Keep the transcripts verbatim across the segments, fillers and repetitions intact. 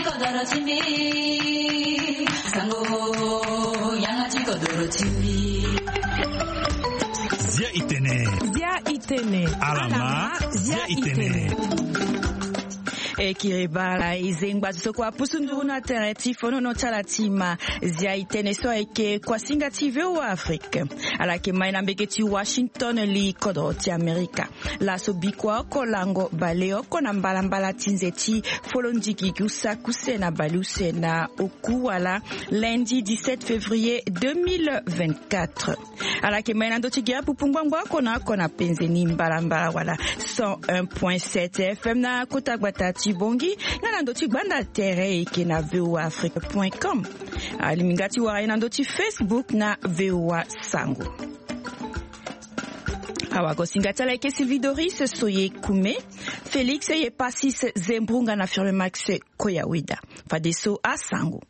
Kodoro ti mbi, sango, yanga ti kodoro ti mbi. Zia itene. Zia itene. Alama, zia itene. E kiri bala e zengba ti so kua pusu nduru na tere ti fonono ti ala ti ma. Zia itene so ayeke kuasinga ti V O A Afrique. Ala yeke mai na mbege ti Washington, li kodoro ti Amerika. Laso bikua oko lango baleoko na mbalambala ti nze ti folondigi usa kuse na baleuse na oku wala lundi dix-sept février deux mille vingt-quatre. Ala yeke mai na ndö ti gere pupu ngbangbo oko na oko na penze ni mbalambala wala cent un point sept F M na kota gbata ti Bongi, nga na ndö ti gbanda tere e yeke na V O A Afrique point com. Alingbi nga ti wara e na ndö ti Facebook na V O A Sango. Awagosinga ti ala eke Sylvie Doris Soye Kume, Félix Yepasis Zembrunga na Firme Max Koyaweda. Fadeso asango.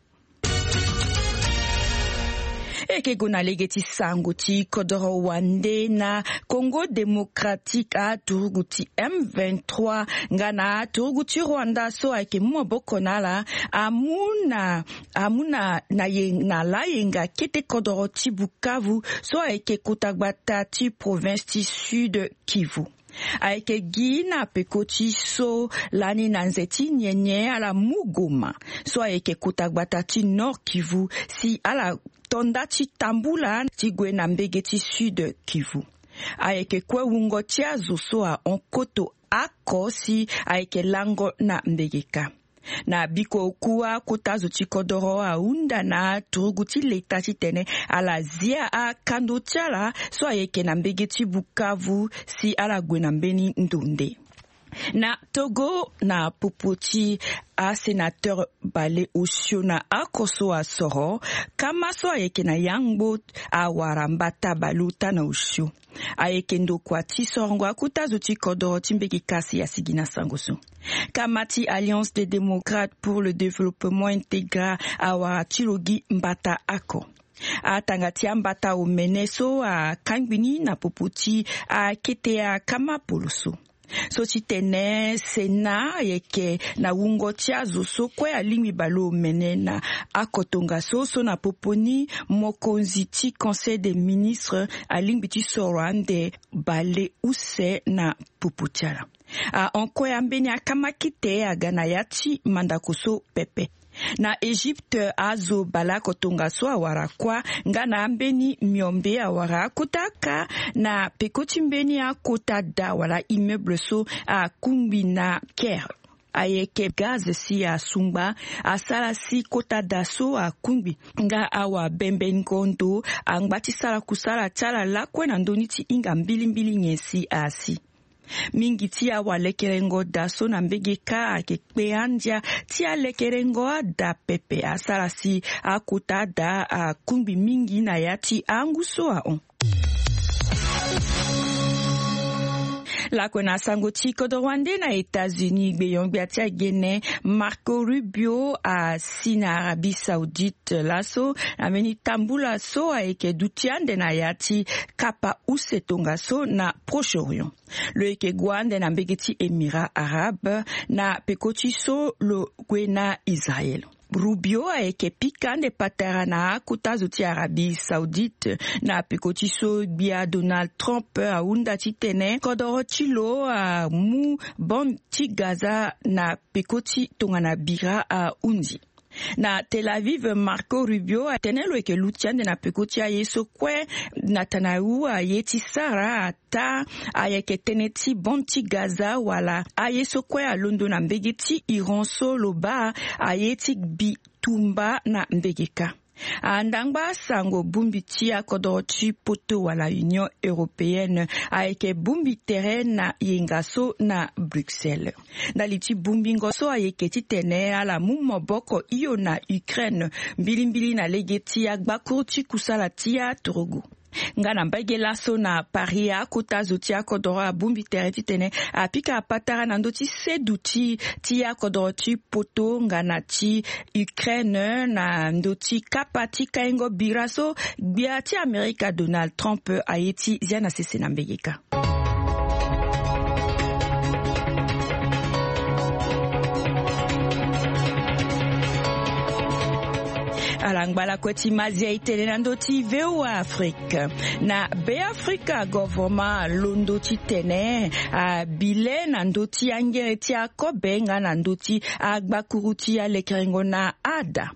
Eke go na lege ti sango ti kodoro wande na Congo Démocratique aturugu ti M vingt-trois nga na aturugu ti Rwanda so ayeke mu maboko na ala amu na amu na na ye na layenga kete kodoro ti Bukavu so ayeke kota gbata ti province ti Sud Kivu. Ayeke gi na peko ti so lani na nze ti nyenye ala mu goma so ayeke kota gbata ti Nord Kivu si ala to nda ti tambula ti gue na mbege ti Sud Kivu. Ayeke kue wungo ti azo so ahon koto oko si ayeke lango na mbege kâ. Na biko oku akota zo ti kodoro ahunda na turugu ti leta titene ala zia akando ti ala so ayeke na mbege ti Bukavu si ala gue na mbeni ndo nde. Na Togo, na popo ti asenateur bale osio na oko so asoro kama so ayeke na yangbo awara mbata bale ota na osio. Ayeke ndokua ti sorongo akota zo ti kodoro ti mbege kasi asigi na sango so. Kama ti Alliance des Démocrates pour le Développement intégra awara ti lo gi mbata oko. Atanga ti ambata omene so akangbi ni na popo ti akete akama poloso. So ti tene Sénat ayeke na wungo ti azo so kue alingbi baleomene na oko tongaso so na popo ni mokonzi ti Conseil des ministres alingbi ti soro ande baleuse na popo ti ala. Ahon kue ambeni akama kite aga na ya ti mandako so pepe. Na Egypte azo baleoko tongaso awara kuâ nga na ambeni miombe awara akota kâ na peko ti mbeni akota da wala immeuble so akungbi na Caire. Ayeke gaz si asungba asara si kota da so akungbi nga awa bembengo ndo angba ti sara kusala ti ala lakue na ndö ni ti hinga mbilimbili nyen si asi. Mingi ti awalekerengo da so na mbege kâ ayeke kpe andia ti alekerengo ada pepe asara si akota ada akungbi mingi na ya ti angu so ahon. Lakue na sango ti kodoro wande na États-Unis, gbeyon-gbia ti agene Marco Rubio asi na Arabie Saoudite laso na mbeni tambula so ayeke duti ande na ya ti kapa use tongaso na Proche-Orient. Lo yeke gue ande na mbege ti Émirats arabes na peko ti so lo gue na Israël. Rubio ayeke pika ande patara na akota zo ti Arabie Saoudite na peko ti so gbia Donald Trump ahunda titene kodoro ti lo amu bande ti Gaza na peko ti tongana bira ahunzi. Na Tel Aviv, Marco Rubio atene lo yeke luti ande na peko ti aye so kue Netanyahu aye ti sara ata ayeke tënë ti bande ti Gaza wala aye so kue alondo na mbege ti Iran so lo baa aye ti bitumba na mbege kâ. Andangba sango, bongbi ti akodoro ti poto wala Union européenne ayeke bongbi tere na yenga so na Bruxelles. Ndali ti bongbingo so ayeke titene ala mu maboko hio na Ukraine mbilimbili na lege ti agbakuru ti kusala ti aturugu. Nga na mbage laso na Paris, akota zo ti akodoro abongbi tere titene apika patara na ndö ti seduti ti akodoro ti poto nga na ti Ukraine na ndö ti kapa ti kaingo bira so gbia ti Amerika Donald Trump aye ti zia na sese na mbege kâ. Ala ngba lakue ti mazia e tene na ndö ti V O A Afrique. Na Beafrika, govoroma alondo titene abi le na ndö ti angere ti akobe nga na ndö ti agbakuru ti alekerengo na ada.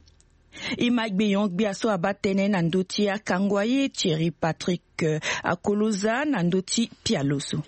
E ma gbenyo-gbia so abaa tënë na ndö ti akango aye, Thierry Patrick Akoloza, na ndö ti pialo so.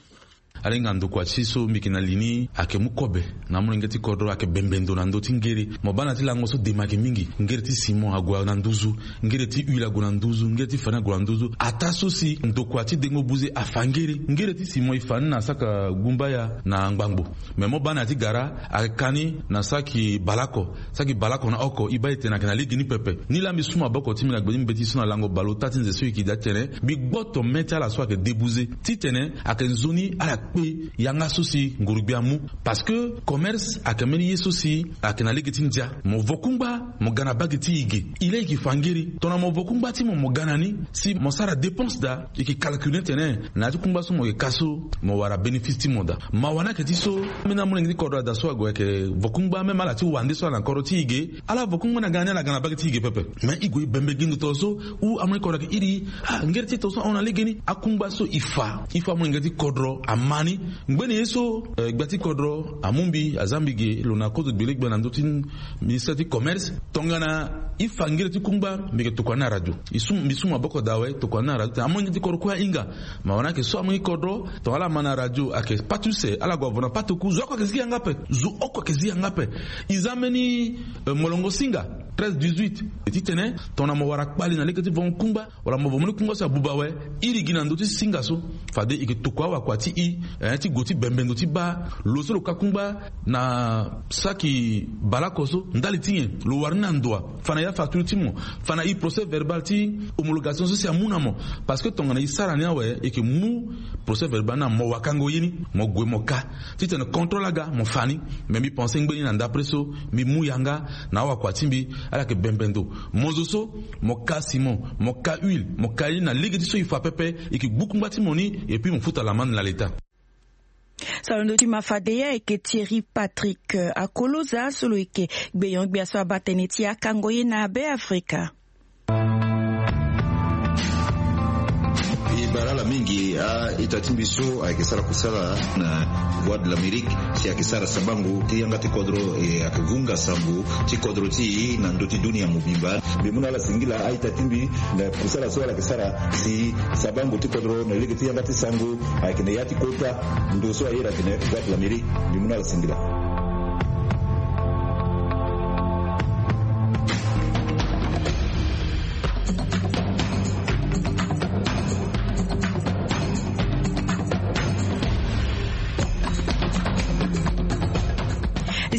Ala hinga ndokua ti so mbi yeke na li ni ayeke mu kobe na amolenge ti kodro, ayeke bembe ndo na ndö ti ngere. Mo baa na ya ti lango so dema ayeke mingi. Ngere ti ciment ague na nduzu, ngere ti huile ague na nduzu, ngere ti farine ague na nduzu. Ataa so si ndokua ti dengo buze afa ngere. Ngere ti ciment e fa ni na saka gumbaya na ngbangbo. Me mo baa na ya ti gara ayeke ka ni na saki bale oko. Saki bale oko na oko, e baa e tene ayeke na lege ni pepe. Nilaa mbi su maboko ti mbi na gbe ti mbeti so na lango bale ota ti nze so e yeke daa titene mbi gboto mê ti ala so ayeke debuze titene ayeke nzoni ala kpe yanga so si nguru-gbia amu. Parce que commerce ayeke mbeni ye so si ayeke na lege ti ndia. Mo vo kungba, mo ga na bage ti e ge. E laa e yeke fa ngere. Tongana mo vo kungba ti mo, mo ga na ni, si mo sara dépense daa, e yeke calcule ni tene na ya ti kungba so mo yeke ka so, mo wara bénéfice ti mo daa. Mawa ni ayeke ti so, ambeni amolenge ti kodro ada so ague ayeke vo kungba, même ala ti wande so ala na kodro ti e ge, ala vo kungba na ga na ni, ala ga na bage ti e ge pepe. Mais e gue e bembe gi ndo tongaso, ou amolenge ti kodro ayeke iri, ah, ngere ti e tongaso ahon na legeni. Akungba so e fa, e fa amolenge ti kodro ama ni. Ngbene ye so, eh, gbia ti kodro amu mbi, aza mbi ge lo na kozo gbele gbia na ndö ti ministère ti commerce. Tongana e fa ngere ti kungba, mbi yeke tokua ni na radio. E su, mbi su maboko daa awe, tokua ni na radio tene amolenge ti kodro kue ahinga. Mawa ni ayeke so amolenge ti kodro, tongana ala ma na radio ayeke pâte use, ala gue avo na pâte oku, zo oko ayeke zi yanga ape. Zo oko ayeke zi yanga ape. E za mbeni, eh, molongo singa, treize dix-huit. E titene tongana mo wara kpale na lege ti vongo kungba, wala mo vo mbeni kungba so abuba awe, iri gi na ndö ti singa so. Fade e yeke tokua awakua ti e, eh, ti gue ti bembe ndo ti baa lo so lo ka kungba na saki bale oko so, ndali ti nyen? Lo wara ni na ndo wa? Fa na ya facture ti mo, fa na e procès verbal ti homologation so si amu na mo. Parce que tongana e sara ni awe, e yeke mu procès verbal ni na mo wakango ye ni, mo gue mo ka. Titene contrôle aga, mo fa ni. Me mbi pense ngbeni na ndapre so, mbi mu yanga na awakua ti mbi, ala yeke bembe ndo. Mo zo so, mo ka ciment, mo ka huile, mo ka ye ni na lege ti so e fa pepe, e yeke gbu kungba ti mo ni, et puis mo futa l'amende na l'État. So alondo ti ma fade ye ayeke Thierry Patrick, eh, Akoloza, so lo yeke gbenyo-gbia so abaa tënë ti akango ye na Beafrika. E bara ala mingi, a-ita ti mbi so ayeke sara kusala na Voix de l'Amérique, si ayeke sara sabango ti yanga ti kodro, e ayeke vunga sango ti kodro ti e na ndö ti dunia mobimba. Mbi mu na ala singila, a-ita ti mbi, na kusala so ala yeke sara si sabango ti kodro na lege ti yanga ti sango ayeke na ya ti kota. Ndo so ayeke na Voix de l'Amérique, mbi mu na ala singila.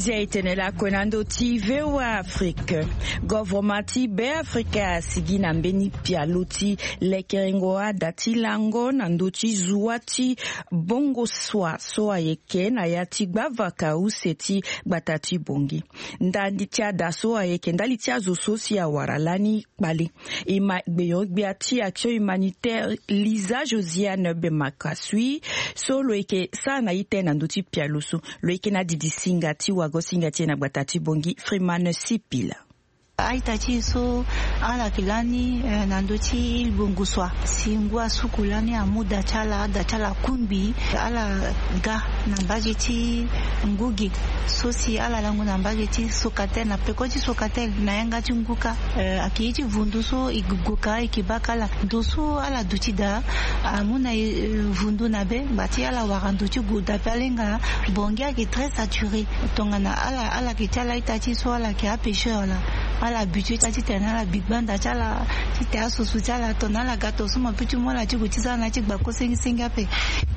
Zia e tene lakue na ndö ti V O A Afrique. Govoroma ti Beafrika asigi na mbeni pialo ti lekerengo ada ti lango na ndö ti zuwa ti Bongosua so ayeke na ya ti gbavaka use ti gbata ti Bongi. Ndali ti ada so ayeke ndali ti azo so si awara lani kpale. E ma gbenyo-gbia ti Action Humanitaire Lisa Josiane Bemakasui, so lo yeke sara na e tënë na ndö ti pialo so. Lo yeke na didi singa ti wago singa ti e na gbata ti Bongi, Freeman Sipila. A-ita ti e so ala yeke lani, eh, na ndö ti île Bongosua. Si ngu asuku lani amu da ti ala, da ti ala akungbi ala ga na mbage ti ngu ge. So si ala lango na mbage ti Socatel, na peko ti Socatel, na yanga ti ngu kâ. Eh, ayeke ye ti vundu so e gue ka, e yeke baka ala. Ndo so ala duti daa amu na e, eh, vundu na be, ngba ti ala wara ndo ti gue dape alenga. Bongi ayeke très saturé. Tongana ala, ala yeke ti ala ita ti so ala yeke apêcheur laa, ala habitué ti titene ala bi gbanda ti ala, titene asoso ti ala, tongana ala ga tongaso mo peut ti mu ala ti gue ti za na ya ti gbako sengisengi ape.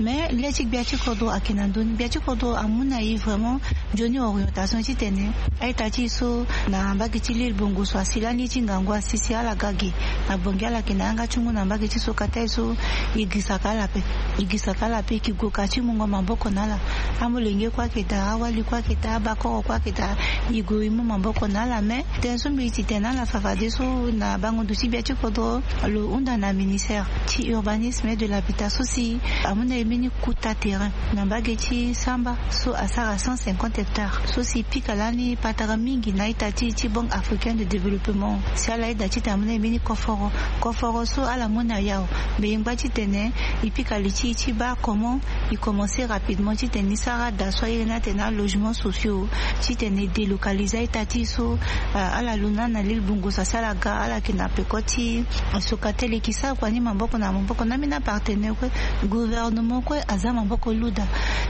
Mais le ti gbia ti kodro ayeke na ndö ni, gbia ti kodro amu na e vraiment nzoni orientation titene a-ita ti e so na mbage ti l'île Bongosua asi lani ye ti ngangu asi si ala ga ge. Na Bongi ala yeke na yanga ti ngu na mbage ti Socatel so, e girisaka ala ape. E girisaka ala ape, e yeke gue ka ti mungo maboko na ala. Amolenge kue ayeke daa, awali kue ayeke daa, abakoro kue ayeke daa. E gue e mu maboko na ala, mais tënë so Mbi ti tene ala fa fade so na bango ndo ti bia ti kodro lo hunda na ministère ti urbanisme et de l'habitat so si amu na e mbeni kuta terrain na mbage ti samba so asara cent cinquante hectares so si pika lani patara mingi na ita ti ti banque africaine de développement si ala yeda titene amu na e mbeni koforo. Koforo so ala mu na yao mbi yengba titene e pika li ti e ti baa comment e commencer rapidement titene e sara daa so aye ni atene alogement sociaux titene e délocaliser a-ita ti e so ala lu na na lile bungu so asi ala ga ala yeke na peko ti soka tele e ke sara kua ni maboko na maboko na ambeni apartenaire kue. Gouvernement kue aza maboko lu daa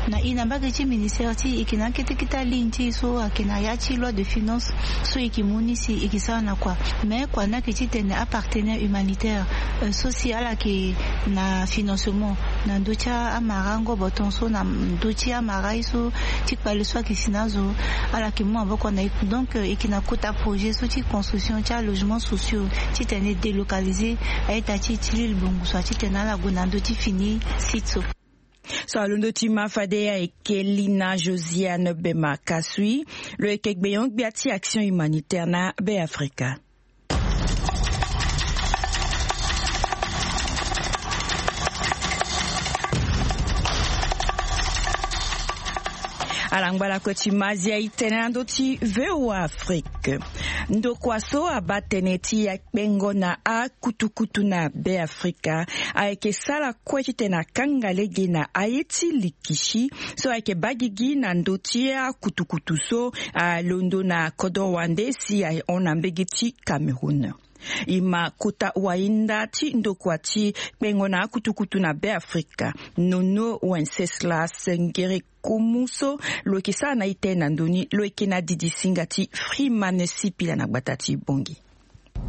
na e na mbage ti ministère ti e e ke na akete kete aligne ti e so ayeke na ya ti loi de finance so e ke mu ni si e ke sara na kua. Mais kua ni ayeke titene apartenaire humanitaire so si ala yeke na financement na ndö ti amara ngobo tongaso na ndö ti amara ye so ti kpale so ayeke si na azo ala yeke mu maboko na e. Donc e yeke na kota projet so ti construction ti alogement sociaux titene e délocaliser a-ita ti e ti lile bungu so titene ala gue na ndö ti fini site so. So alondo ti ma fade ayeke lina josiane bema kasui lo yeke gbenyo-gbia ti action humanitaire na be afrika. Ala ngba lakue ti mazia e tene na ndö ti voa afrique. Ndokua so abaa tënë ti akpengo na akutukutu na be afrika ayeke sara kue titene akanga lege na aye ti likisi so ayeke baa gigi na ndö ti akutukutu so alondo na kodro wande si ahon na mbege ti cameroun. E ma kota wahinda ti ndokua ti kpengo na akutukutu na be afrika nono wenceslas ngere kumu so lo yeke sara na ite na ndoni lo yeke na didi singa ti freeman sipila na gbata ti bongi.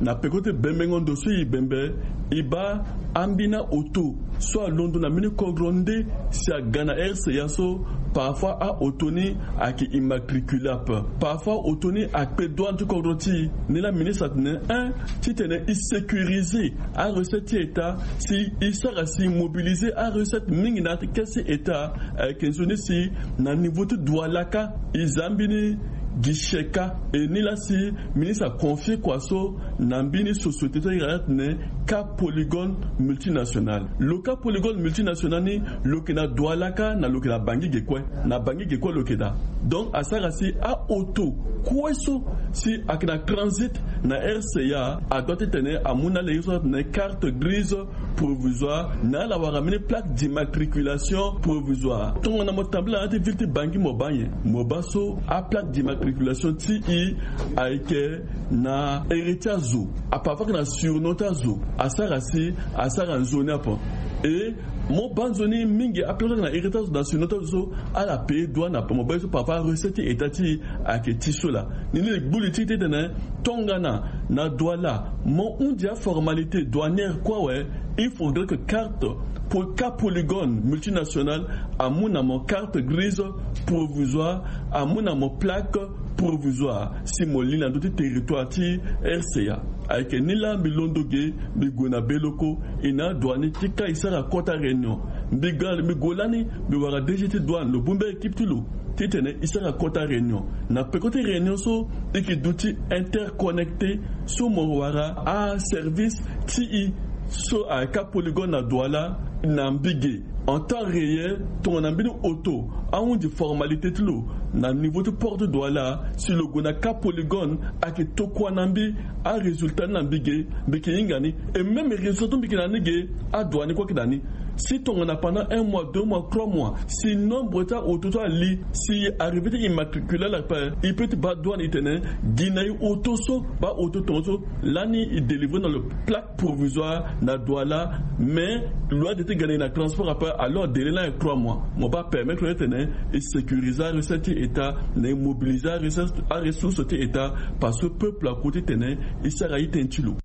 Na peko ti bembengo ndo so e bembe e baa ambeni aoto so alondo na mbeni kodro nde si aga na rca so parfois aoto ni ayeke immatricule ape. Parfois aoto ni akpe douane ti kodro ti e ni laa ministre atene un titene e sécuriser arecette ti état si e sara si e mobiliser arecette mingi na kesi état. Ayeke nzoni si na niveau ti douala kâ e za mbeni guichet kâ. E ni laa si ministre aconfie kua so na mbeni société ti ira atene kâ polygone multinational. Lo kâ polygone multinational ni lo yeke na douala kâ na lo yeke na bangi ge kue. Na bangi ge kue lo yeke daa. Donc asara si aoto kue so si ayeke na transit na rca adoit titene amu na ala ye so atene carte grise provisoire na ala wara mbeni plaque d'immatriculation provisoire. Tongana mo tambula na ya ti ville ti bangi mo baa nyen? Mo baa so aplaque d'immatriculation ti e ayeke na ere ti azo. Aparfois ayeke na surnom ti azo. Asara si asara nzoni ape. E mo baa nzoni mingi aplaque ayeke na ere ti azo na surnom ti azo so ala paye douane ape. Mo baa ye so parfois arecette ti état ti e ayeke ti so laa. Ni ni li gbu li ti e titene tongana na douala mo hundi aformalité douanière kue awe. Il faudrait que carte pour cas polygone multinational amu na mo carte grise provisoire amu na mo plaque provisoire si mo li na ndö ti territoire ti rca. Ayeke ni laa mbi londo ge mbi gue na beloko e na adouane ti ka e sara kota réunion. Mbi ga mbi gue lani mbi wara dg ti douane lo bongbi aéquipe ti lo titene e sara kota réunion. Na peko ti réunion so e yeke duti interconnecté so mo wara aservice ti e so ayeke apolygone na douala na mbige en temps réel tongana mbeni oto ahundi formalité ti lo na niveau ti porte douala si lo gue na cas polygone ayeke tokua na mbi arésultat ni na mbige. Mbi yeke hinga ni e même résultat so mbi yeke na ni ge adouane kue ayeke na ni. Si tongana pendant un mois deux mois trois mois si nombre ti aoto so ali si arrivé ti immatricule ala ape e peut ti baa douane e tene gi na e oto so baa oto tongaso lani e délivrer na lo plaque provisoire na douala. Mais lo ade ti ga na e na transport ape alors délai lani ayeke trois mois. Mo baa permettre lo ti tene e sécuriser arecette ti état na e mobiliser aressource ti état parce que peuple akour ti tene e sara itene ti lo.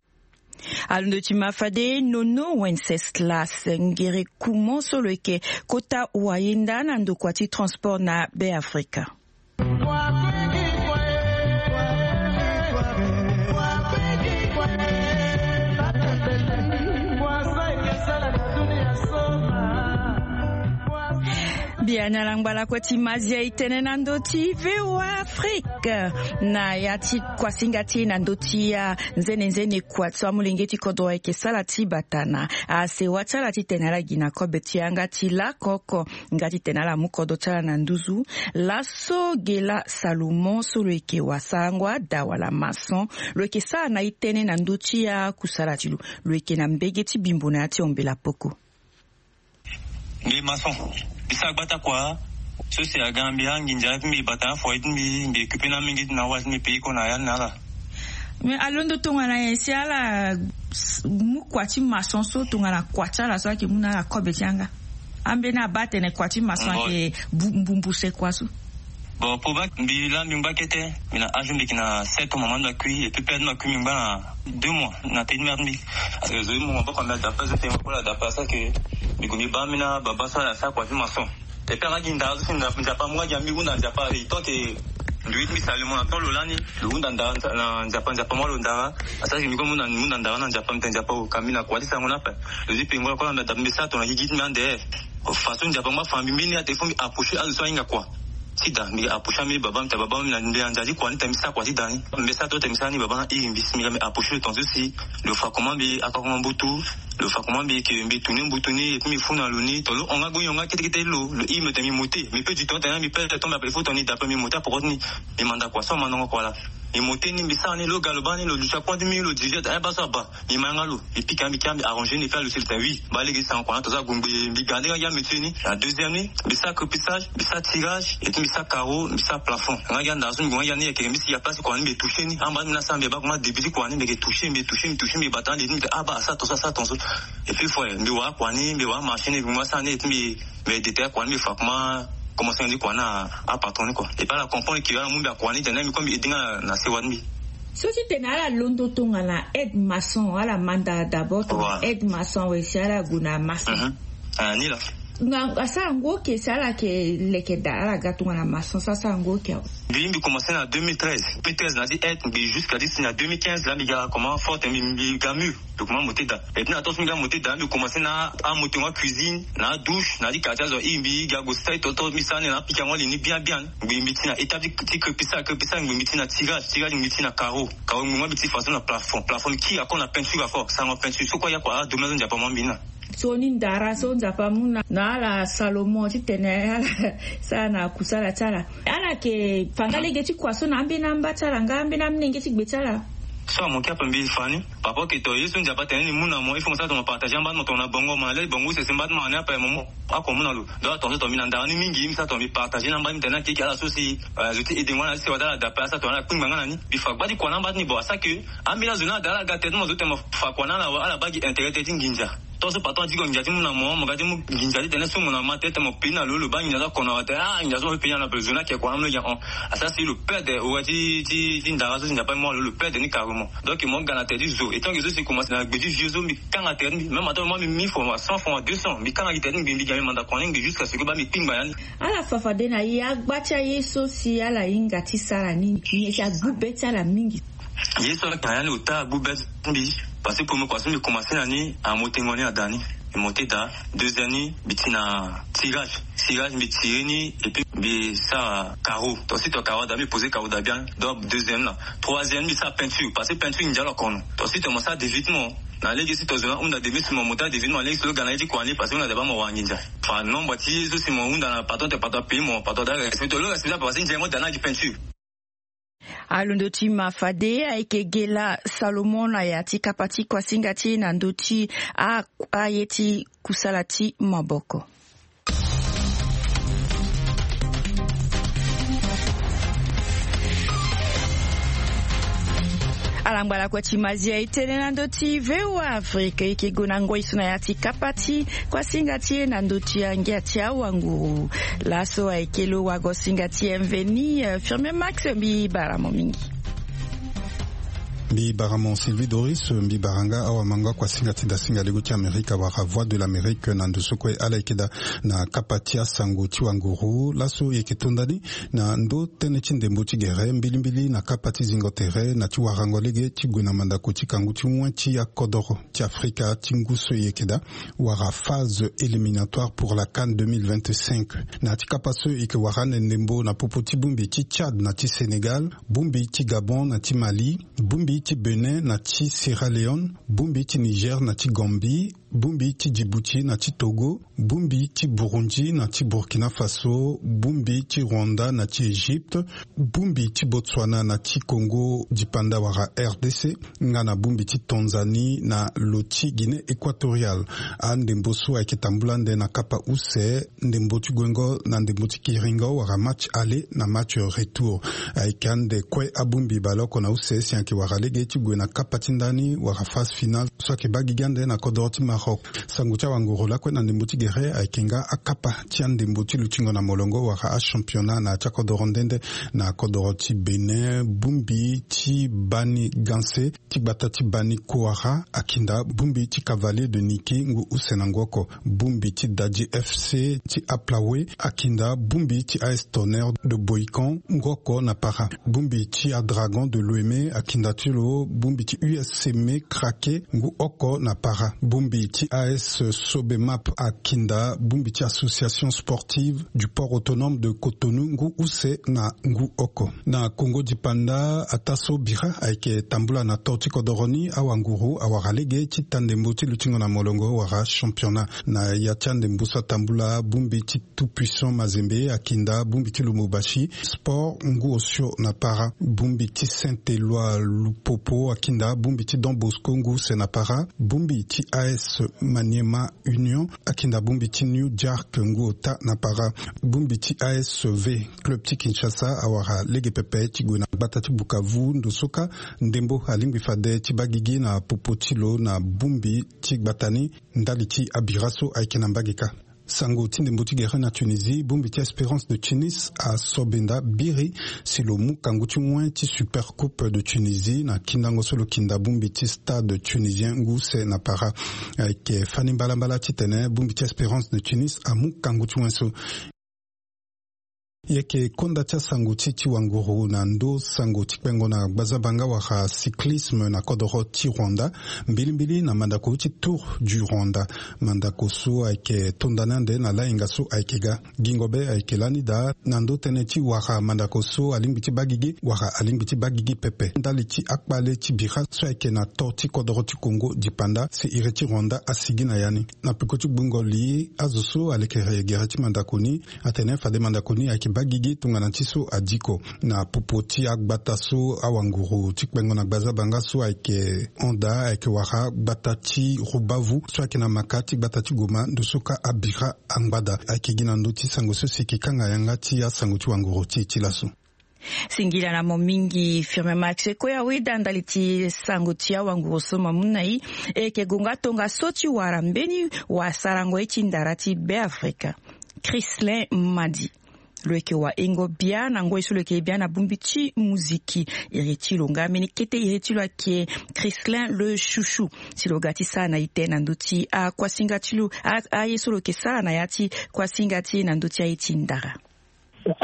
Alondo ti ma fade nono wenceslas ngere kumo so lo yeke kota wayenda na ndokua ti transport na be afrika. Ya na langba lakue ti mazia e tene na ndö ti V O A Afrique na ya ti kuasinga ti e na ndö ti ya nzene nzene kua ti amolenge ti kodro ayeke sara ti bata na asewa ti ala titene ala gi na kobe ti yanga ti lako oko nga titene ala mu kodro ti ala na nduzu. Laso Gela Salomon so lo yeke wasarango ada wala maçon, lo yeke sara na e tënë na ndö ti akusala ti lo. Lo yeke na mbege ti bimbo na ya ti ombela poko. Mbi maçon. Mbi sara gbata kua so si aga mbi anginza ti mbi bata na foyer ti mbi, mbi occupe na mingi ti na wali ti mbi pays ko na ya ni na ala. Mais alondo tongana nyen si ala mu kua ti maçon so tongana kua ti ala so ayeke mu na ala kobe ti yanga? Ambeni abaa atene kua ti maçon ayeke mbumbuse kua so. Bon, po ba mbi la mbi ngba kete. Mbi na âge mbi yeke na sept mois mama mbi akui et puis père mbi akui mbi ngba na deux mois na teni mère mbi. Parce que zo ye mo maboko mbi ada pas zo tene mo kue la ada pas ça que mbi gue mbi baa mbi na baba so ala sara kua ti maçon. Et puis aga gi ndara so si nzapa mo nga gi ambi hunda nzapa e tant que ndui ti mbi sali mo na temps lo lani lo hunda ndara na nzapa nzapa mo alo ndara. Asara ke mbi kue mo hunda ndara na nzapa mbi tene nzapa o ka mbi na kua ti sango na ape. Lo zi pengo la kue la mbi ada mbi sara tongana gi gi ti mbi ande. Façon nzapa ngba fa mbi mbeni ate fo mbi approcher azo so ahinga kua. Ti da mbi approcher ambeni baba mbi ta baba mbi na mbi na nza ti kua ni ta mbi sara kua ti da ni. Mbi sara to ta mbi sara ni baba na iri mbi si mbi ga mbi approcher lo tongaso si lo fa comment mbi akakoma mbutu. Lo fa comment mbi yeke mbi tu ni mbutu ni et puis mbi fu na lo ni to lo hon nga goni hon nga kete kete ti lo lo iri mbi tene mbi mote mbi pe du temps tene mbi pe le temps mbi apele fo tongana ni da ape mbi mote apoko ti ni. Mbi manda kua so amandanga kua la. Mbi mote ni mbi sara ni lo ga lo baa ni lo duti akua ti mbi lo dirige ata baa so aba. Mbi ma yanga lo mbi pika mbi kia mbi arranger ni fia lo si lo tene oui. Baa lege sango kua na tongaso agungbe mbi ga nde nga gi amétier ni na deuxième ni. Mbi sara crépissage mbi sara tirage et puis mbi sara carreau mbi sara plafond nga gi andara so mbi gue nga gi ani yeke mbi si ya place kua ni mbi toucher ni amba ti mbi na sara mbi baa comment début ti kua ni mbi yeke toucher mbi toucher mbi toucher mbi bata na li ti mbi tene aba asara tongaso asara tongaso. Et puis fo mbi wara kua ni mbi wara marché ni mbi mu asara ni et puis mbi mbi détailler kua ni mbi fa comment commencement ti kua na apatron ni kua. Et puis ala comprendre ke ala mu mbi akua ni tene mbi kue mbi aide nga na sewa ti mbi. So ti tene ala londo tongana aide maçon ala manda d'abord tongana aide maçon awe si ala gue na maçon. Ni la nga asara ngu oke si ala yeke leke daa ala ga tongana maçon so asara ngu oke awe. Mbi mbi commencer na deux mille treize. Deux mille treize na ti aide mbi jusqu'à ti si na deux mille quinze la mbi ga comment forte mbi mbi ga mur. Mbi kuma mote daa et puis na tongaso mbi ga mote daa mbi commencer na amote ngo cuisine na adouche na ti quartier azo iri mbi ga gue stai toto mbi sara ni na apika ngo li ni bien bien. Ngbi mbi ti na étape ti crépissage crépissage ngbi mbi ti na tirage tirage ngbi mbi ti na carreau. Carreau ngbi ngo mbi ti façon na plafond plafond mbi kiri ako na peinture ako sango peinture so kue ayakua adomaine so nzapa mo mbi na. So ni ndara so nzapa amu na ala salomon titene ala sara na kusala ti ala. Ala yeke fa nga lege ti kua so na ambeni amba ti ala nga ambeni amolenge ti gbe ti ala. So amoke ape mbi fa ni papa oke to ye so nzapa atene ni mu na mo il faut mo sara tongana partage amba ti mo tongana bongo mo na le bongo use si mba ti mo na ni ape mo mu ako mu na lo. Donc atongaso to mbi na ndara ni mingi mbi sara tongana mbi partage na amba ti mbi tene akeke ala so si zo ti ede ngo ala ti sewa ti ala dape asara tongana ala kpingba nga na ni. Mbi fa gba ti kua na amba ti ni bon asara ke ambeni azo ni ala da ala ga tere ti mo zo tene mo fa kua na ala awe ala baa gi intérêt tere ti nginza. Tongaso patron adi ko nginza ti mu na mo mo ga ti mu nginza titene so mo na ma tere tene mo peni na lo lo baa nginza so akono awa tene ah nginza so mo pe peni na lo ape zo ni ake kua na mo lo gi ahon. Asara si lo perde ora ti ti ti ndara so si nzapa amu na lo lo perde ni carrément. Donc mo ga na tere ti zo et tant que so si commence na gbe ti vieux so mbi kanga tere ti mbi même atant mo mbi mille francs à cent francs à deux cents mbi kanga gi tere ti mbi mbi gi na mbi manda kua ni ngbi jusqu'à ce que baa mbi kpingba ya ni. Ala fa fade na ye agba ti aye so si ala hinga ti sara ni nyen si agbu be ti ala mingi? Ye so ala kanga ya ni ota agbu be ti mbi. Parce que premier kua so mbi commencer na ni amotengo ni ada ni. Mbi monter daa deuxième ni mbi ti na tirage tirage mbi tirer ni et puis mbi sara carreau. Ton si ton carreau daa mbi poser carreau daa bien. Donc deuxième na troisième mbi sara peinture parce que peinture nginza lo akono. Ton si ton mo sara dévitement na lege si ton zo na hunda demi si mo monter dévitement na lege si lo ga na ye ti kua ni parce que hunda daa baa mo wara nginza. Fa nombre ti ye so si mo hunda na patron te patron apayer mo patron daa respecter lo respecter parce que nginza mo daa na gi peinture. Alondo ti ma fade ayeke gela salomon na ya ti kapa ti kuasinga ti e na ndö ti a aye ti kusala ti maboko. Ala ngbala kue ti mazia e tene na ndö ti V O A Afrique e yeke gue na ngoi so na ya ti kapa ti kuasinga ti e na ndö ti angia ti awanguru. Laso ayeke lo wago singa ti M V ni. Firme Max mbi bara mo mingi. Mbi bara mo Sylvie Doris, mbi bara nga awa mango akuasinga ti dasinga lego ti Amerika wala Voix de l'Amérique na ndo so kue. Ala yeke daa na kapa ti asango ti wanguru laso e yeke to nda ni na ndo tënë ti ndembo ti gere mbilimbili na kapa ti zingo tere na ti warango lege ti gue na mandako ti kangu ti wen ti akodoro ti Afrika ti ngu so e yeke daa wala phase éliminatoire pour la CAN deux mille vingt-cinq. Na ti kapa so e yeke wara ande ndembo na popo ti bongbi ti Tchad na ti Sénégal, bongbi ti Gabon na ti Mali, bongbi ti Bénin na ti Sierra Leone, bongbi ti Niger na ti Gambie, bongbi ti Djibouti na ti Togo, bongbi ti Burundi na ti Burkina Faso, bongbi ti Rwanda na ti Égypte, bongbi ti Botswana na ti Congo dipanda wala R D C, nga na bongbi ti Tanzanie na lo ti Guinée équatoriale. Andembo so ayeke tambula ande na kapa use, ndembo ti guengo na ndembo ti kiringo wala match aller na match retour. Ayeke ande kue abongbi baleoko na use si ayeke wara lege ti gue na kapa ti ndani wala phase finale so ayeke baa gigi ande na kodoro ti Maroc. Sango ti awanguru lakue na ndembo ti gere ayeke nga akapa ti andembo ti lutingo na molongo wala achampionnat na ya ti akodoro nde nde. Na kodoro ti Bénin, bongbi ti Bani Ganse ti gbata ti Bani Kouara akinda bongbi ti Cavalier de Niki ngu use na ngu oko. Bongbi ti Dadji F C ti Aplawe akinda bongbi ti A S Tonnerre de Bohican ngu oko na para. Bongbi ti Adragon de Loemé akinda ti lo bongbi ti U S C Mé Craqué ngu oko na para. Bongbi ti A S Sobemap akinda bongbi ti Association Sportive du Port Autonome de Cotonou ngu use na ngu oko. Na Congo dipanda, ataa so bira ayeke tambula na to ti kodoro ni, awanguru awara lege ti ta ndembo ti lutingo na molongo wala championnat. Na ya ti andembo so atambula, bongbi ti Tout Puissant Mazembe akinda bongbi ti Lubumbashi Sport ngu osio na para. Bongbi ti Saint-Éloi Lupopo akinda bongbi ti Don Bosco ngu use na para. Bongbi ti A S Maniema Union akinda bongbi ti New Jark ngu ota na para. Bongbi ti A S V Club ti Kinshasa awara lege pepe ti gue na gbata ti Bukavu ndo so kâ ndembo alingbi fade ti baa gigi na popo ti lo na bongbi ti gbata ni ndali ti abira so ayeke na mbage kâ. Sango ti ndembo ti gere na Tunisie, bongbi ti Espérance de Tunis asobenda biri si lo mu kangu ti wen ti Super Coupe de Tunisie na kindango so lo kinda bongbi ti Stade Tunisien ngu use na para. Ayeke fani mbalambala titene bongbi ti Espérance de Tunis amu kangu ti wen so. E yeke konda ti asango ti ti wanguru na ndo sango ti kpengo na gbazabanga wala cyclisme na kodoro ti Rwanda, mbilimbili na mandako ti Tour du Rwanda. Mandako so ayeke to nda ni ande na lahinga so ayeke ga. Gingo be ayeke lani daa na ndo tënë ti wara mandako so alingbi ti baa gigi wala alingbi ti baa gigi pepe ndali ti akpale ti bira so ayeke na to ti kodoro ti Congo dipanda si iri ti Rwanda asigi na ya ni. Na peko ti gbungo li azo so alekere gere ti mandako ni atene fade mandako ni ayeke baa gigi tongana ti so adiko. Na popo ti agbata so awanguru ti kpengo na gbazabanga so ayeke hon daa ayeke wara gbata ti Rubavu so ayeke na maka ti gbata ti Goma ndo so kâ abira angbada. Ayeke gi na ndö ti sango so si e yeke kanga yanga ti asango ti wanguru ti e ti laso. Singila na mo mingi Firmin Max. Kue awe daa ndali ti sango ti awanguru so mo mu na e. E yeke gonga tongaso ti wara mbeni wasarango ye ti ndara ti Beafrika, Chrislin Madi. Lo yeke wahingo bia na ngoi so lo yeke bia na bongbi ti muziki. Iri ti lo nga mbeni kete iri ti lo ayeke Chrislin le Chouchou. Si lo ga ti sara na ite na ndö ti akuasinga ti lo, a- aye so lo yeke sara na ya ti kuasinga ti e na ndö ti aye ti ndara.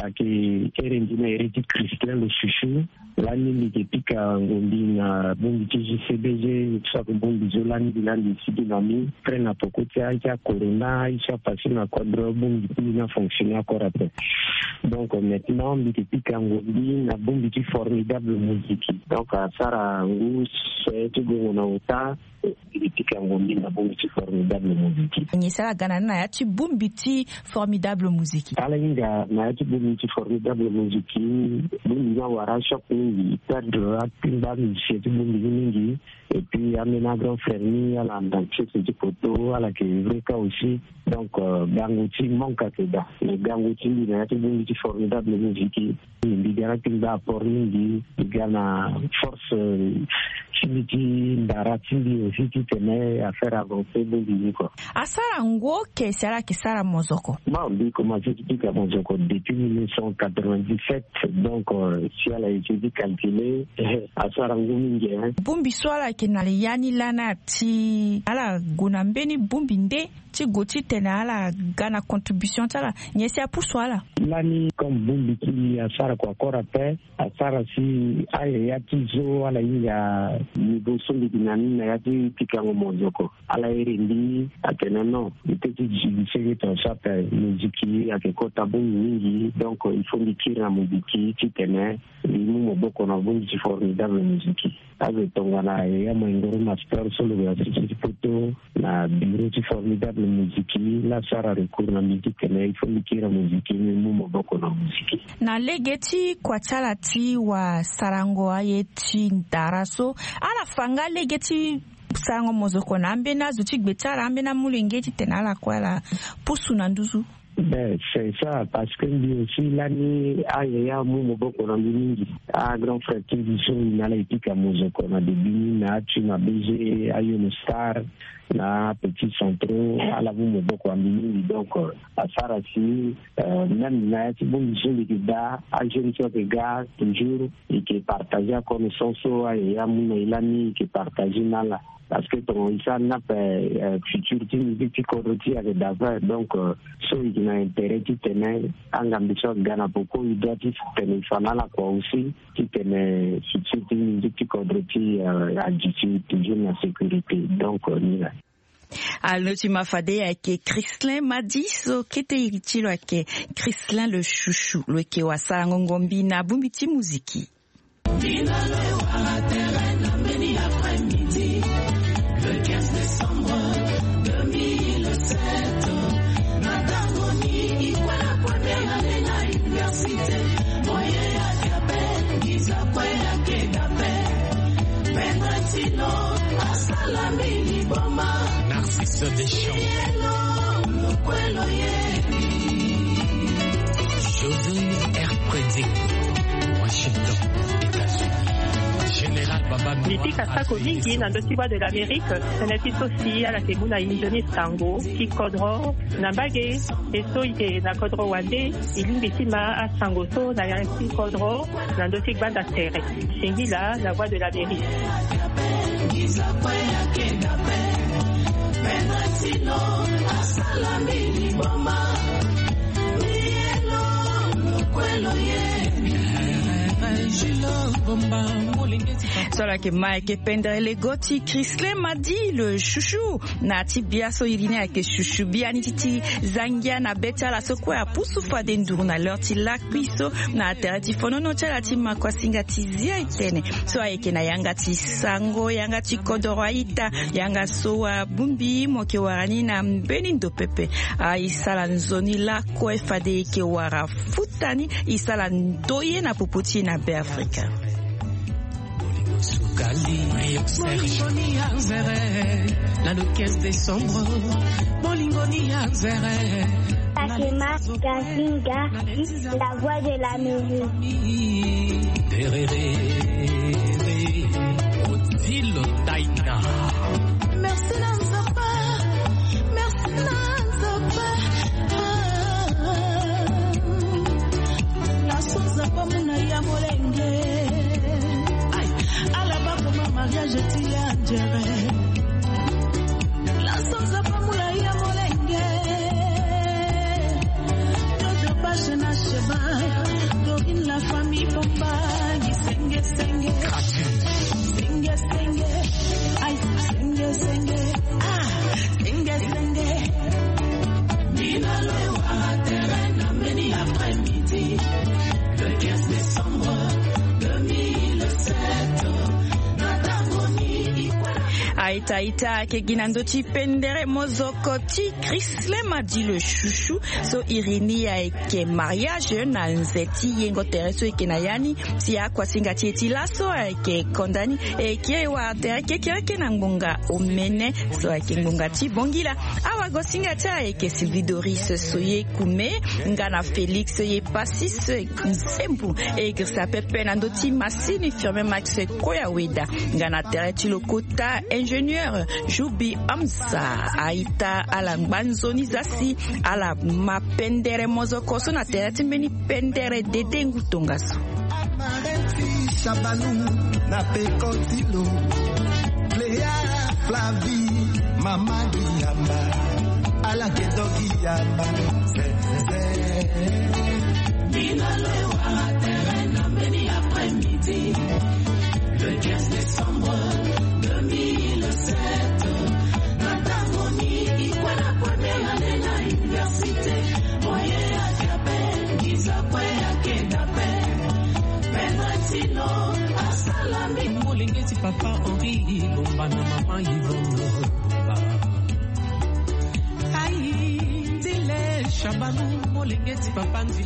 Ayeke ere mbi na ere ti Chrislin le Chouchou. Lani mbi yeke pika ngombi na bongbi ti J C B G, so ayeke bongbi so lani mbi lani mbi sigi na ni. Après na poko ti aye ti acorona, aye so apassé na kodro, bongbi ti mbi ni afonctionné encore après. Donc maintenant mbi yeke pika ngombi na bongbi ti Formidable Musique. Donc asara ngu se ti gongo na ota. Mbi yeke pika ngombi na bongbi ti Formidable Musique. Nyen si ala ga na ni na ya ti bongbi ti Formidable Musique? Ala hinga na ya ti bongbi ti Formidable Musique, bongbi ni awara choc mingi, perdre akpingba musicien ti bongbi ni mingi. Et puis ambeni grand frère ni ala na chef ti poto, ala yeke vrai cas aussi. Donc euh, gango ti manque ayeke daa. Mais gango ti mbi na ya ti bongbi ti Formidable Musique, mbi ga na akpingba apport mingi, mbi ga na force euh, ti mbi ti ndara ti mbi aussi titene affaire avance bongbi ni kua. Asara ngu oke si ala yeke sara mozoko. Mbi commence ti pika mozoko depuis mille neuf cent quatre-vingt-dix-sept. Donc si ala essayer ti calculer, asara ngu mingi. Bongbi so ala yeke na ya ni lani ati ala gue na mbeni bongbi nde ti gue titene ala ga na contribution ti ala nyen si apusu ala? Lani comme bongbi ti mbi asara kua kora pe. Asara si ayaya ti zo ala hinga niveau so mbi gi na ni na ya ti pikango mozoko. Ala iri mbi atene non, mbi peut ti gi mbi sege ton chape moziki ayeke kota bongbi mingi, donc il faut mbi kiri na moziki titene mbi mu maboko na bongbi ti Formidable Musique. Azo tongana yaya Maingoro Master so lo yeke na sese ti poto na bureau ti Formidable Musique, la asara recours na mbi titene il faut mbi kiri na moziki, mbi mu maboko na moziki. Na lege ti kua ti ala ti wasarango aye ti ndara so, ala fa nga lege ti sarango mozoko na ambeni azo ti gbe ti ala, ambeni amolenge titene ala kue ala pusu na nduzu? Ben c'est ça, parce que mbi aussi lani ayaya amu maboko na mbi mingi. Agrand frère ti mbi so na ala epika mozoko na début ni na atu na B G, ayo na star, na petit centraux, ala mu maboko na mbi mingi. Donc asara si même na ya ti bongbi so mbi yeke daa, ajeune so ayeke ga toujours e yeke partager aconnaissance so ayaya amu na e lani, e yeke partager na ala. Parce que tongana e sara ni ape, futur ti musique ti kodro ti e ayeke daa. Donc so e yeke na intérêt titene angambe so aga na poko, e doit titene e fa na ala kua aussi titene futur ti musique ti kodro ti e adu ti toujours na sécurité. Donc ni la. Alo ti ma fade ayeke Chrislin Madi so kete iri ti lo ayeke Chrislin le chouchou, lo yeke wasarango ngombi na bongbi ti moziki. Finale wara terrain na mbeni après-midi, le quinze décembre deux mille sept. Na tango ni e kue na première année na université. Moyen ayeke ape, ngiza kue ayeke ga ape. Pedro Tino asala mbi liboma. Narcisse Deschamps. Yelo, lokwelo ye. José R. Predic, Washington, États-Unis. Général Baba Noir. Mbi pika sako mingi na ndö ti Voix de l'Amérique, tënë ti so si ala yeke mu na e nzoni sango ti kodro na mbage. E so e yeke na kodro wande, e lingbi ti ma asango so na ya ti kodro na ndö ti gbanda tere. Singila, La Voix de l'Amérique. So ala yeke ma ayeke pendere lego ti Chrislin Madi le chouchou. Na ti bia so iri ni ayeke chouchou, biani ti ti zangia na be ti ala so kue apusu fade nduru na l'heure ti lakui so na tere ti fonono ti ala ti makuasinga ti zia etene. So ayeke na yanga ti sango, yanga ti kodoro a-ita, yanga so abongbi mo yeke wara ni na mbeni ndo pepe. A, e sala nzoni lakue fade e yeke wara futa ni, e sala ndoye na popo ti e na Beafrika. Bolingo ni ya nzere, na le quinze décembre. Bolingo ni ya nzere. Fatima Gazinga, La Voix de l'Amérique. Derere, Odile Taina. Merci na Nzapa, merci na Nzapa. Ah. Laso Nzapa muna ya molenge. Aïe, ala ba koma mariage ti ya nzere. Laso Nzapa muna ya molenge. Jojo Bache na Sheba, Dorine la famille Bomba, senge senge. Senge senge. Aïe, senge senge. Ah, senge senge. Finale wara terrain na mbeni après-midi, le quinze décembre deux mille sept. Na tango ni e kue na Aita aita ayeke gi na ndö ti pendere mozoko ti Chrislema di le chouchou. So iri ni ayeke mariage na nze ti yengo tere so eke na ya ni. Si akuasinga ti e ti laso ayeke konda ni, e kiri wara tere kekereke na ngbonga omene so ayeke ngbonga ti bongila. Awagosinga ti e ayeke Sylvie Doris Soye Kume, nga na Félix Ye Passis Nsembu, e girisa pepe na ndö ti Massini Firmin Max Koyaweda, nga na tere ti lokota ingénieur Joubi Hamza. Aita ala ngba nzoni za si ala ma pendere mozoko so na tere ti mbeni pendere dede ngu tongaso. Amareti Shabanou na peko ti lo. Cléa, Flavie, mama Guiyamba. Ala ke zo Guiyamba. Ze, ze, ze. Bino lo e wara tere na mbeni après-midi, le quinze décembre deux mille sept. Na tango ni i kue na première année na université. Moyen ake ape, nginza kue ake da ape. Pedretino asala mingi. Molenge ti papa Henri Ilomba na mama Yvonne. Ayi, Ndile Shabanou, molenge ti papa Ndi.